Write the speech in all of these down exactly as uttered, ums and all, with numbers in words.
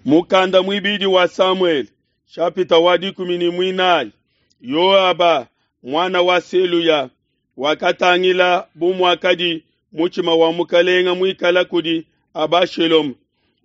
Mukanda muibidi wa Samuele, shapita wa dikumi ne muinayi. Yoaba muana wa Seluya wakatangila bu muakadi mutshima wa mukalenga muikala kudi Abashaloma.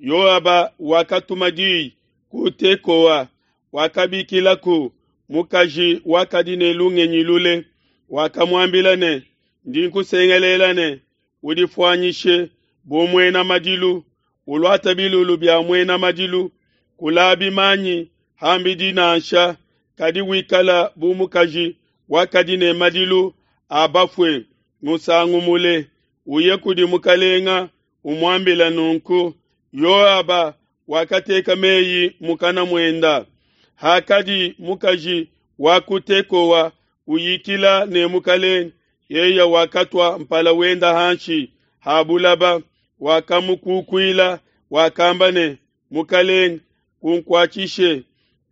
Yoaba wakatuma diyi ku Tekoa, wakabikilaku mukaji wakadi ne lungenyi lule, wakamuambila ne, ndi nkusengelela ne, udifuanyishe bu muena madilu, uluata bilulu bia muena madilu, kulabi manyi ham'bidi nansha, kadi wikala bu mukaji wakadi ne madilu a bafue musangu mule, uye kudi mukalenga umuambila nunku. Yoaba wakateka meyi mukana muenda. Hakadi mukaji wa ku Tekoa uyikila ne mukalenga, yeye wakatua mpala wenda hanshi ha bulaba, wakamukukuila, wakamba ne, Mukalenga, kunkuatshishe.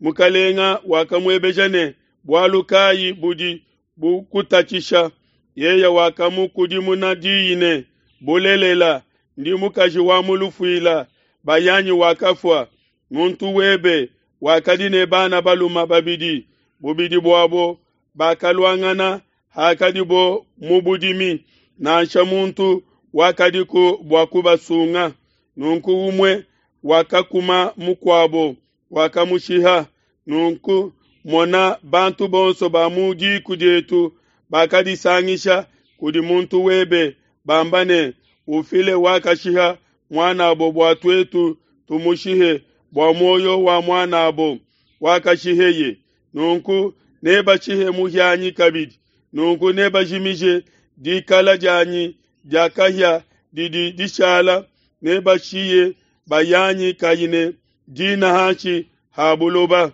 Mukalenga wakamuebeja ne, bualu kayi budi bukutatshisha? Yeye wakamukudimuna diyi ne, bulelela, ndi mukaji wa mu lufuila, bayanyi wakafua. Muntu webe wakadi ne bana balume babidi, bubidi buabo bakaluangana hakadibo mu budimi, nansha muntu wakadiku bua kubasunga. Nunku umue wakakuma mukuabo, wakamushiha. Nunku mona, bantu bonso ba mu diku dietu bakadisangisha kudi muntu webe, bamba ne, Ufile wakashiha muan'abo bua tuetu tumushihe bua muoyo wa muan'abo wakashiheye. Nunku nebashihe muhianyi kabidi, nunku nebajimije dikala dianyi dia kahia didi dishala, nebashiye bayanyi kayi ne dina hanshi ha buloba.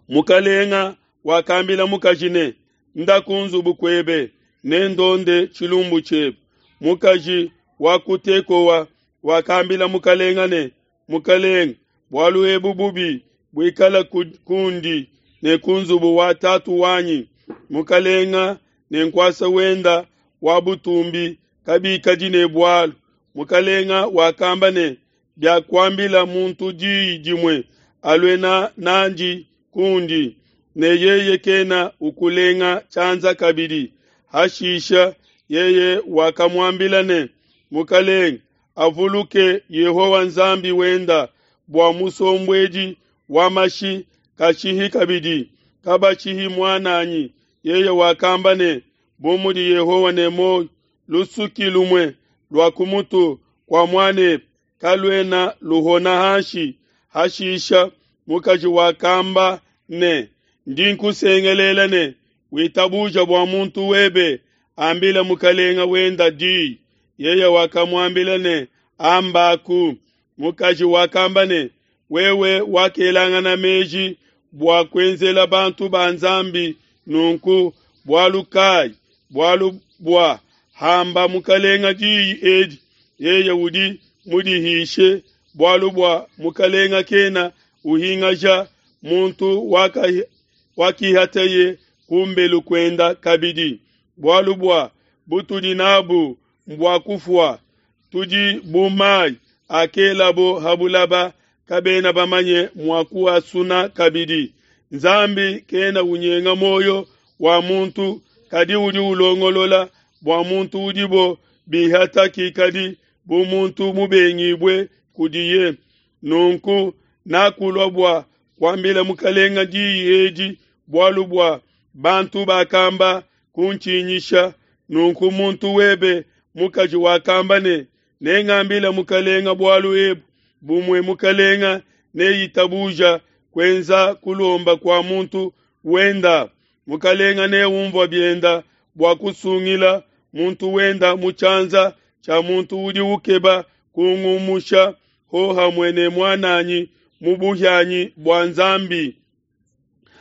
Mukalenga wakambila mukaji ne, nda ku nzubu kuebe, nendonde tshilumbu tshiebe. Mukaji wa ku Tekoa wakambila mukalenga ne, Mukalenga, bualu ebu bubi buikala kundi ne ku nzubu wa tatu wanyi. Mukalenga ne nkuasa wenda wa butumbi kabikadi ne bualu. Mukalenga wakamba ne, biakuambila muntu diyi dimue, alue nandi kundi, ne yeye kena ukulenga tshianza kabidi. Hashisha yeye wakamuambila ne, Mukalenga avuluke Yehowa Nzambi wenda bua musombuedi wa mashi kashihi kabidi, kabashihi muan'anyi. Yeye wakamba ne, bu mudi Yehowa ne muoyo, lusuki lumue lua ku mutu kua muan'ebe kaluena luhona hanshi. Hashisha mukaji wakamba ne, ndi nkusengelela ne, witabuja bua muntu webe ambila mukalenga wenda diyi. Yeye wakamuambila ne, ambaku. Mukaji wakamba ne, wewe wakelangana meji bua kuenzela bantu ba Nzambi nunku bualu kayi? Bualu bua hamba mukalenga diyi edi, yeye udi mudihishe, bualu bua mukalenga kena uhingaja muntu wakihateye kumbelu kuenda kabidi. Bualu bua butudi nabu mbua kufua, tudi bu mai akelabo ha bulaba, kabena bamanye mua kuasuna kabidi. Nzambi kena unyenga muoyo wa muntu, kadi udi ulongolola bua muntu udibo bihata kikadi bu muntu mubengibue kudiye. Nunku nakulua bua kuambila mukalenga diyi edi, bualu bua bantu bakamba kuntshinyisha. Nunku muntu webe mukaji wakamba ne, nengambile mukalenga bualu ebu, bumue mukalenga neitabuja kuenza kulomba kua muntu wenda. Mukalenga neumvua bienda bua kusungila muntu wenda mu tshianza tshia muntu udi ukeba kungumusha hohamue ne muan'anyi mu buhianyi bua Nzambi.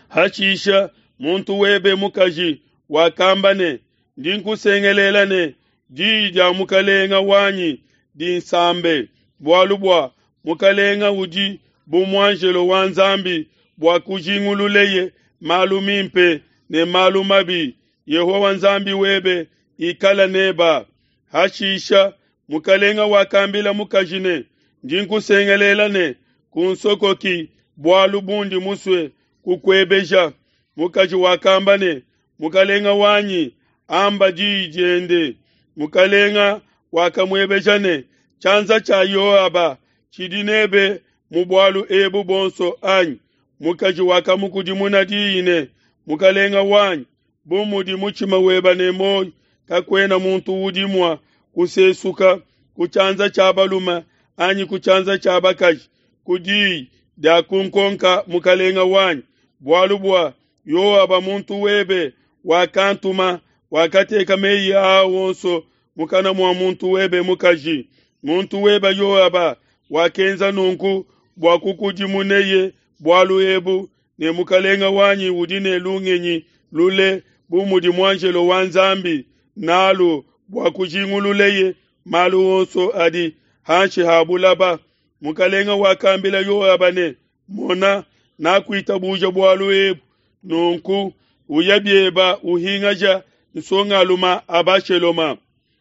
Hashisha muntu webe mukaji wakamba ne, ndi nkusengelela ne, diyi dia mukalenga wanyi dinsambe, bualu bua mukalenga udi bu muanjelo wa Nzambi bua kujingululeye malu mimpe ne malu mabi. Yehowa Nzambi webe ikala neba. Hashisha mukalenga wakambila mukaji ne, ndi nkusengelela ne, Kunsokoki bualu bundi musue kukuebeja. Mukaji wakamba ne, Mukalenga wanyi, amba diyi diende. Mukalenga wakamuebeja ne, Tshianza tshia Yoaba tshidi nebe mu bualu ebu buonso anyi? Mukaji wakamukudimuna diyi ne, Mukalenga wanyi, bu mudi mutshima webe ne muoyo, kakuena muntu udi mua kusesuka ku tshianza tshia balume anyi ku tshianza tshia bakaji ku diyi dia kunkonka mukalenga wanyi, bualu bua Yoaba muntu webe wakantuma, wakateka meyi aa onso mukana mua muntu webe mukaji. Muntu webe Yoaba wakenza nunku bua kukudimuneye bualu ebu, ne mukalenga wanyi udi ne lungenyi lule bu mudi muanjelo wa Nzambi nalu bua kujingululeye malu onso adi hanshi ha bulaba. Mukalenga wakambila Yoaba ne, Mona, nakuitabuja bualu ebu, nunku uya bieba uhingaja nsongaluma Abasheloma.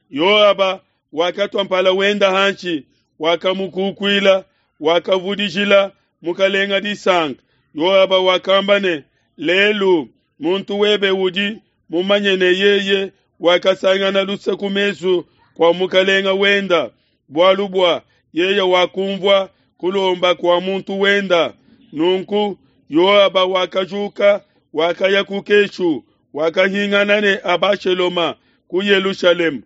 Yoaba wakatua mpala wenda hanshi, wakamukukuila, wakavudijila mukalenga disanka. Yoaba wakamba ne, Lelu muntu webe udi mumanye ne yeye wakasangana luse ku mesu kua mukalenga wenda, bualu bua yeye wakumvua kulomba kua muntu wenda. Nunku Yoaba wakajuka, wakaya ku Keshu, wakahingana ne Abasheloma ku Yelushalema.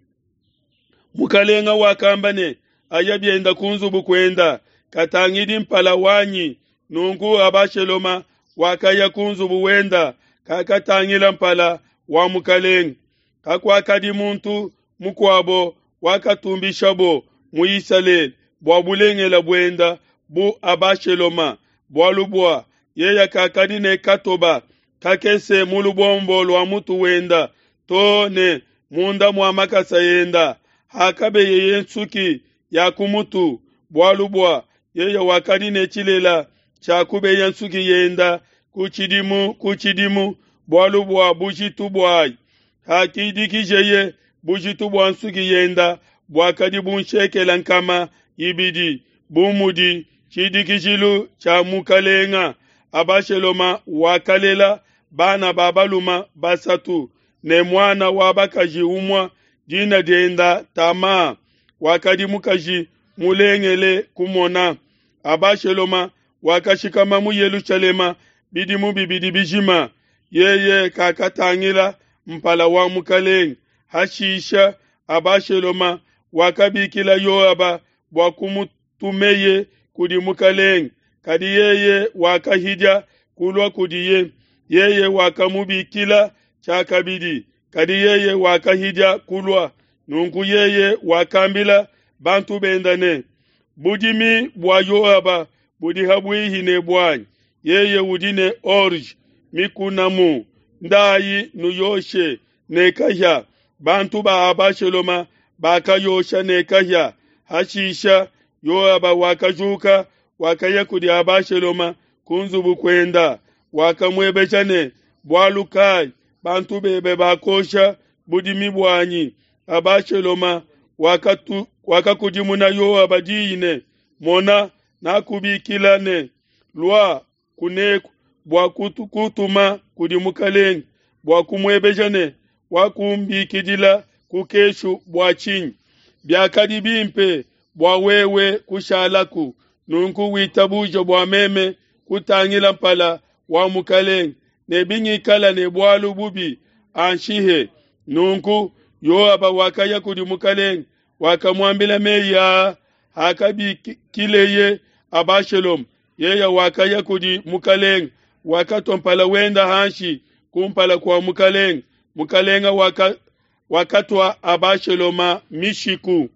Mukalenga wakamba ne, Aya bienda ku nzubu kuenda, katangidi mpala wanyi. Nunku Abasheloma wakaya ku nzubu wenda, kakatangila mpala wa mukalenga. Kakuakadi muntu mukuabo wakatumbishabo mu Isalele bua bulengele buenda bu Abasheloma, bualu bua yeye kakadi ne katoba kakese mu lubombo lua mutu wenda to ne munda mua makasa enda, hakabeyeye nsuki ya ku mutu, bualu bua yeye wakadi ne tshilela tshia kubeya nsuki yenda ku tshidimu ku tshidimu, bualu bua bujitu buayi. Hakidikijeye bujitu bua nsuki yenda buakadi bu nshekela nkama ibidi, bu mudi tshidikijilu tshia mukalenga. Abasheloma wakalela bana ba balume basatu ne muana wa bakaji umue, dina dienda Tama, wakadi mukaji mulengele kumona. Abasheloma wakashikama mu Yelushalema bidimu bibidi bijima, yeye kakatangila mpala wa mukalenga. Hashisha Abasheloma wakabikila Yoaba bua kumutumeye kudi mukalenga, kadi yeye wakahidia kulua kudiye. Yeye wakamubikila tshiakabidi, kadi yeye wakahidia kulua. Nunku yeye wakambila bantu benda ne, Budimi bua Yoaba budi habuihi ne buanyi, yeye udi ne orge mikunamu, ndayi nuyoshe ne kahia. Bantu ba Abasheloma bakayosha ne kahia. Hashisha Yoaba wakajuka, wakaya kudi Abasheloma ku nzubu kuenda, wakamuebeja ne, Bualu kai bantu bebe bakosha budimi buanyi? Abasheloma wakatu, wakakudimuna Yoaba diyi ne, Mona, nakubikila ne, Lua kuneku bua kutuma kudi mukalenga bua kumuebeja ne, wakumbikidila ku keshu bua tshinyi? Biakadi bimpe bua wewe kushalaku, nunku witabuje bua meme kutangila mpala wa mukalenga, ne bingikala ne bualu bubi anshihe. Nunku Yoaba wakaya kudi mukalenga, wakamuambila meyi aa. Hakabikileye Abasheloma, yeye wakaya kudi mukalenga, wakatua mpala wenda hanshi kumpala kua mukalenga. Mukalenga waka, wakatua Abasheloma mishiku.